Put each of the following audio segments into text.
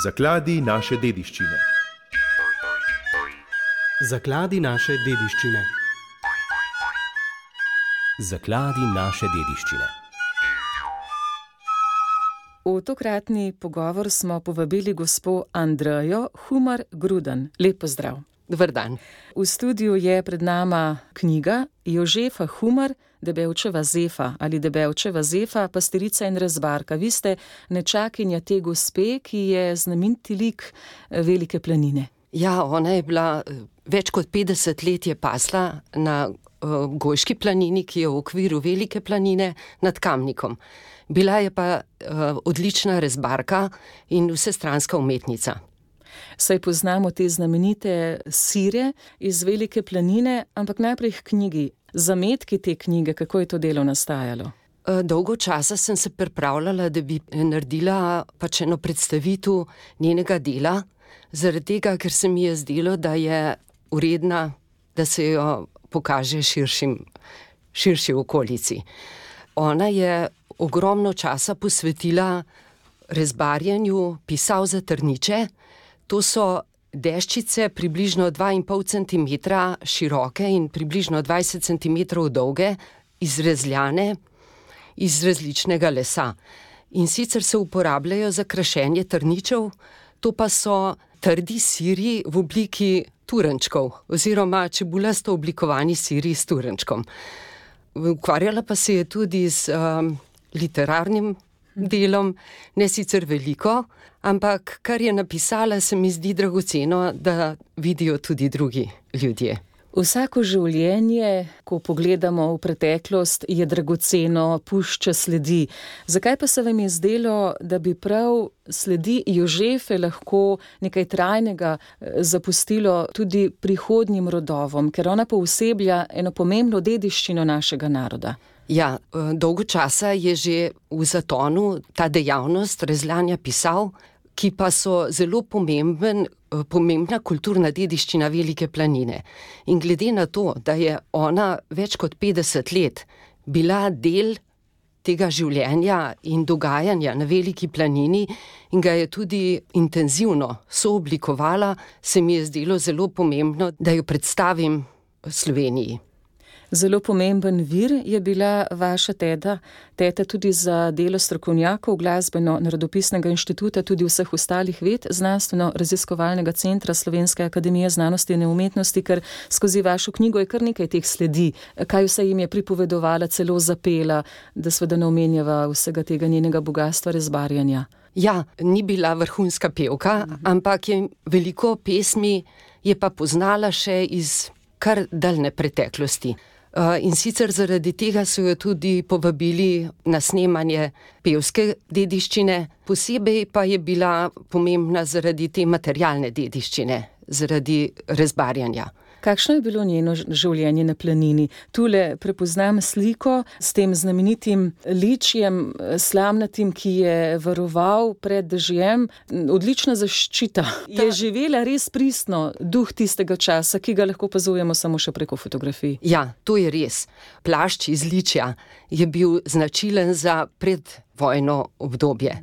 Zakladi naše dediščine. Zakladi naše dediščine. Zakladi naše dediščine. V tokratni pogovor smo povabili gospo Andrejo Humar Gruden. Lep pozdrav. Dober dan. V studiu je pred nama knjiga Jožefa Humar, Debevčeva Zefa ali Debevčeva Zefa, pastirica in rezbarka. Vi ste nečakinja te gospe, ki je znameniti lik Velike planine. Ja, ona je bila več kot 50 let je pasla na Gojški planini, ki je v okviru Velike planine nad Kamnikom. Bila je pa odlična rezbarka in vsestranska umetnica. Saj poznamo te znamenite sire iz Velike planine, ampak najprej k knjigi. Zametki te knjige, kako je to delo nastajalo? Dolgo časa sem se pripravljala, da bi naredila pač eno predstavitev njenega dela, zaradi tega, ker se mi je zdelo, da je uredna, da se jo pokaže širši okolici. Ona je ogromno časa posvetila rezbarjenju pisav za trniče. To so deščice približno 2,5 cm široke in približno 20 cm dolge, izrezljane iz različnega lesa. In sicer se uporabljajo za krašenje trničev, to pa so trdi siri v obliki turenčkov oziroma čebulasto oblikovani siri s turenčkom. Ukvarjala pa se je tudi z literarnim delom, ne sicer veliko, ampak kar je napisala, se mi zdi dragoceno, da vidijo tudi drugi ljudje. Vsako življenje, ko pogledamo v preteklost, je dragoceno, pušča sledi. Zakaj pa se vam je zdelo, da bi prav sledi Jožefe lahko nekaj trajnega zapustilo tudi prihodnjim rodovom, ker ona pooseblja eno pomembno dediščino našega naroda? Ja, dolgo časa je že v zatonu ta dejavnost rezljanja pisav, ki pa so zelo pomembna kulturna dediščina Velike planine. In glede na to, da je ona več kot 50 let bila del tega življenja in dogajanja na Veliki planini in ga je tudi intenzivno sooblikovala, se mi je zdelo zelo pomembno, da jo predstavim Sloveniji. Zelo pomemben vir je bila vaša teta tudi za delo strokovnjakov Glasbeno-narodopisnega inštituta, tudi vseh ostalih ved, Znanstveno-raziskovalnega centra Slovenske akademije znanosti in umetnosti, ker skozi vašo knjigo je kar nekaj teh sledi. Kaj vse jim je pripovedovala, celo zapela, da seveda ne omenjava vsega tega njenega bogastva rezbarjanja? Ja, ni bila vrhunska pevka, ampak je veliko pesmi je pa poznala še iz kar daljne preteklosti. In sicer zaradi tega so jo tudi povabili na snemanje pevske dediščine, posebej pa je bila pomembna zaradi te materialne dediščine, zaradi rezbarjanja. Kakšno je bilo njeno življenje na planini? Tule prepoznam sliko s tem znamenitim ličjem, slamnatim, ki je varoval pred dežjem. Odlična zaščita. Je živela res pristno duh tistega časa, ki ga lahko opazujemo samo še preko fotografij. Ja, to je res. Plašč iz ličja je bil značilen za predvojno obdobje.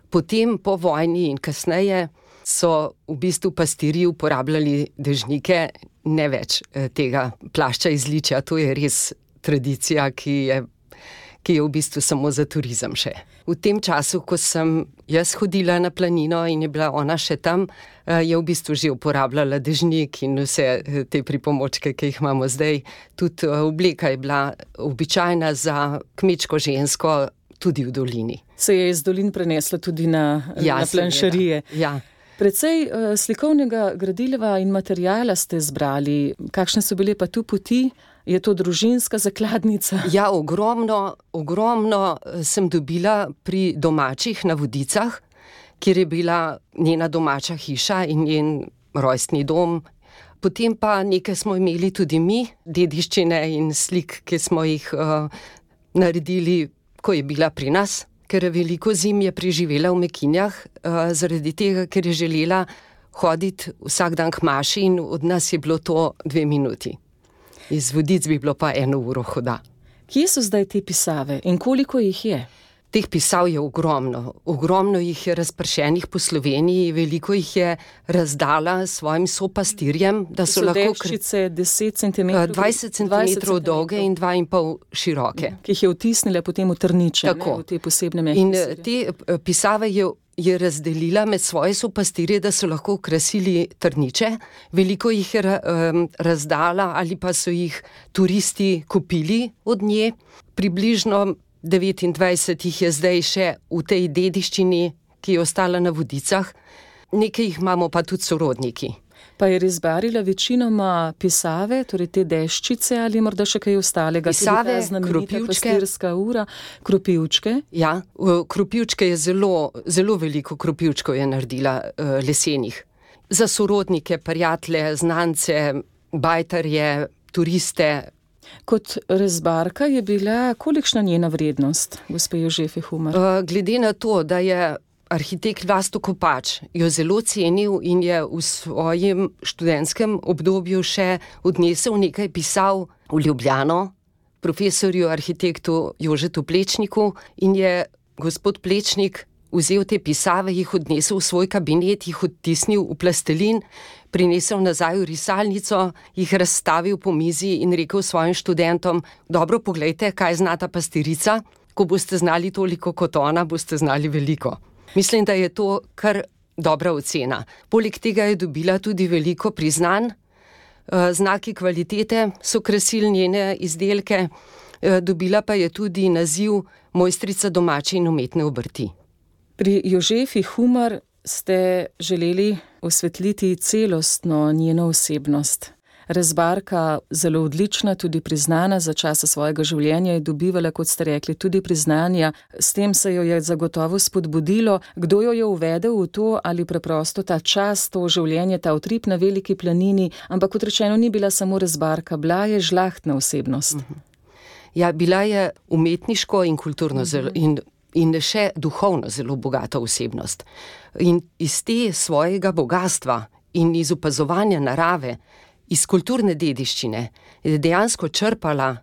Potem po vojni in kasneje so v bistvu pastirji uporabljali dežnike, ne več tega plašča iz ličja. To je res tradicija, ki je v bistvu samo za turizem še. V tem času, ko sem jaz hodila na planino in je bila ona še tam, je v bistvu že uporabljala dežnik in vse te pripomočke, ki jih imamo zdaj. Tudi obleka je bila običajna za kmečko žensko, tudi v dolini. Se je iz dolin prenesla tudi na planšarije. Ja. Precej slikovnega gradiva in materijala ste zbrali. Kakšne so bile pa tu poti? Je to družinska zakladnica? Ja, ogromno sem dobila pri domačih na Vodicah, kjer je bila njena domača hiša in njen rojstni dom. Potem pa nekaj smo imeli tudi mi, dediščine in slik, ki smo jih naredili, ko je bila pri nas. Ker veliko zim je preživela v Mekinjah, zaradi tega, ker je želela hoditi vsak dan k maši in od nas je bilo to 2 minuti. Iz Vodic bi bilo pa 1 uro hoda. Kje so zdaj te pisave in koliko jih je? Teh pisav je ogromno. Ogromno jih je razpršenih po Sloveniji, veliko jih je razdala svojim sopastirjem, da so lahko deščice 10 cm, 20 cm dolge in 2,5 široke. Ki jih je vtisnila potem v trniče, v te posebne mehke in sire. te pisave je razdelila med svoje sopastirje, da so lahko okrasili trniče. Veliko jih je razdala ali pa so jih turisti kupili od nje. Približno 29 jih je zdaj še v tej dediščini, ki je ostala na Vodicah. Nekaj jih imamo pa tudi sorodniki. Pa je rezbarila večinoma pisave, torej te deščice ali morda še kaj ostalega? Pisave, znamenita pastirska ura, kropivčke. Ja, kropivčke je zelo veliko kropivčkov je naredila lesenih. Za sorodnike, prijatelje, znance, bajtarje, turiste. Kot rezbarka je bila kolikšna njena vrednost, gospe Jožefe Humar? Glede na to, da je arhitekt Vlasto Kopač jo zelo cenil in je v svojem študentskem obdobju še odnesel nekaj pisav v Ljubljano, profesorju arhitektu Jožetu Plečniku, in je gospod Plečnik vzel te pisave, jih odnesel v svoj kabinet, jih odtisnil v plastelin, prinesel nazaj v risalnico, jih razstavil po mizi in rekel svojim študentom: dobro, poglejte, kaj zna ta pastirica, ko boste znali toliko kot ona, boste znali veliko. Mislim, da je to kar dobra ocena. Poleg tega je dobila tudi veliko priznanj, znaki kvalitete so krasili njene izdelke, dobila pa je tudi naziv mojstrica domače in umetne obrti. Pri Jožefi Humar ste želeli osvetliti celostno njeno osebnost. Rezbarka, zelo odlična, tudi priznana za časa svojega življenja, je dobivala, kot ste rekli, tudi priznanja. S tem se jo je zagotovo spodbudilo. Kdo jo je uvedel v to, ali preprosto ta čas, to življenje, ta utrip na Veliki planini, ampak kot rečeno, ni bila samo rezbarka, bila je žlahtna osebnost. Ja, bila je umetniško in kulturno in še duhovno zelo bogata osebnost. In iz te svojega bogatstva in iz opazovanja narave, iz kulturne dediščine, je dejansko črpala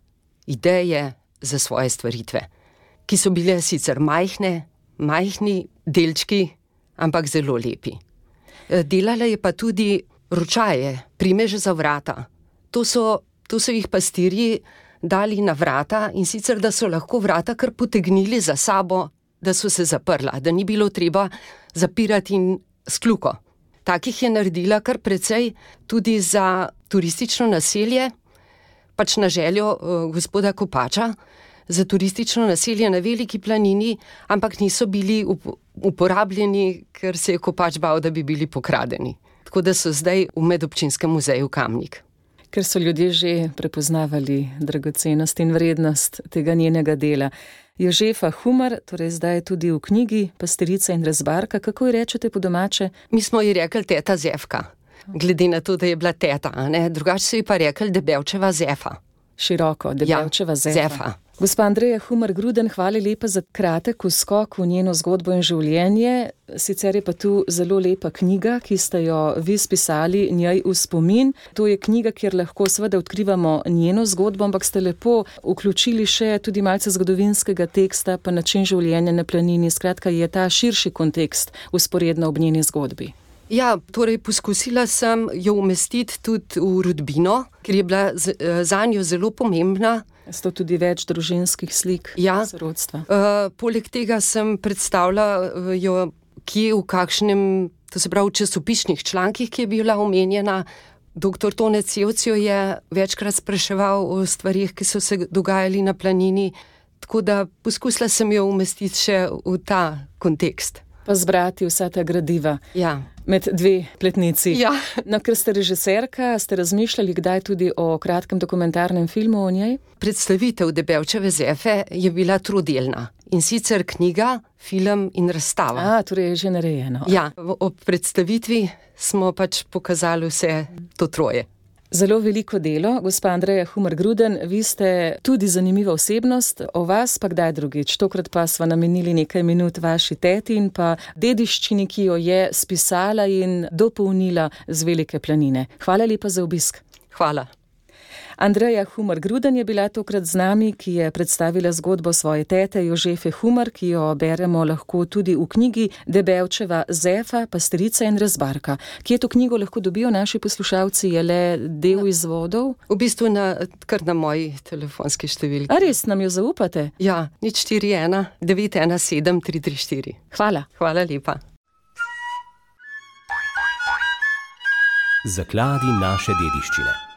ideje za svoje stvaritve, ki so bile sicer majhni delčki, ampak zelo lepi. Delala je pa tudi ročaje, primeže za vrata. To so jih pastirji dali na vrata, in sicer, da so lahko vrata kar potegnili za sabo, da so se zaprla, da ni bilo treba zapirati in s kljuko. Takih je naredila kar precej tudi za turistično naselje, pač na željo gospoda Kopača, za turistično naselje na Veliki planini, ampak niso bili uporabljeni, ker se je Kopač bal, da bi bili pokradeni. Tako da so zdaj v Medobčinskem muzeju Kamnik. Ker so ljudje že prepoznavali dragocenost in vrednost tega njenega dela. Jožefa Humar, torej zdaj tudi v knjigi Pastirica in rezbarka, kako ji rečete po domače? Mi smo ji rekli teta Zefka, glede na to, da je bila teta, drugače so ji pa rekli Debevčeva Zefa. Široko, Debevčeva Zefa. Gospa Andreja Humar Gruden, hvala lepa za kratek skok v njeno zgodbo in življenje. Sicer je pa tu zelo lepa knjiga, ki ste jo vi spisali njej v spomin. To je knjiga, kjer lahko seveda odkrivamo njeno zgodbo, ampak ste lepo vključili še tudi malce zgodovinskega teksta, pa način življenja na planini. Skratka, je ta širši kontekst vzporedno ob njeni zgodbi. Ja, torej poskusila sem jo umestiti tudi v rodbino, ker je bila zanjo zelo pomembna. Sto tudi več družinskih slik, ja, sorodstva. Poleg tega sem predstavila jo kje, v kakšnem, to se pravi v časopisnih člankih, ki je bila omenjena. Dr. Tone Cevc jo je večkrat spraševal o stvarih, ki so se dogajali na planini, tako da poskusila sem jo umestiti še v ta kontekst. Pa zbrati vsa ta gradiva. Ja. Med dve pletnici. Ja. No, ker ste režiserka, ste razmišljali kdaj tudi o kratkem dokumentarnem filmu o njej? Predstavitev Debevčeve Zefe je bila trodelna. In sicer knjiga, film in razstava. Torej je že narejeno. Ja, ob predstavitvi smo pač pokazali vse to troje. Zelo veliko delo, gospa Andreja Humar Gruden, vi ste tudi zanimiva osebnost, o vas pa kdaj drugič. Tokrat pa sva namenili nekaj minut vaši teti in pa dediščini, ki jo je spisala in dopolnila z Velike planine. Hvala lepa za obisk. Hvala. Andreja Humar-Gruden je bila tokrat z nami, ki je predstavila zgodbo svoje tete Jožefe Humar, ki jo beremo lahko tudi v knjigi Debevčeva Zefa, Pastirica in rezbarka. Kje to knjigo lahko dobijo naši poslušalci? Je le del izvodov? V bistvu kar na moji telefonski številki. A res nam jo zaupate? Ja, 041 917 334. Hvala. Hvala lepa. Zakladi naše dediščine.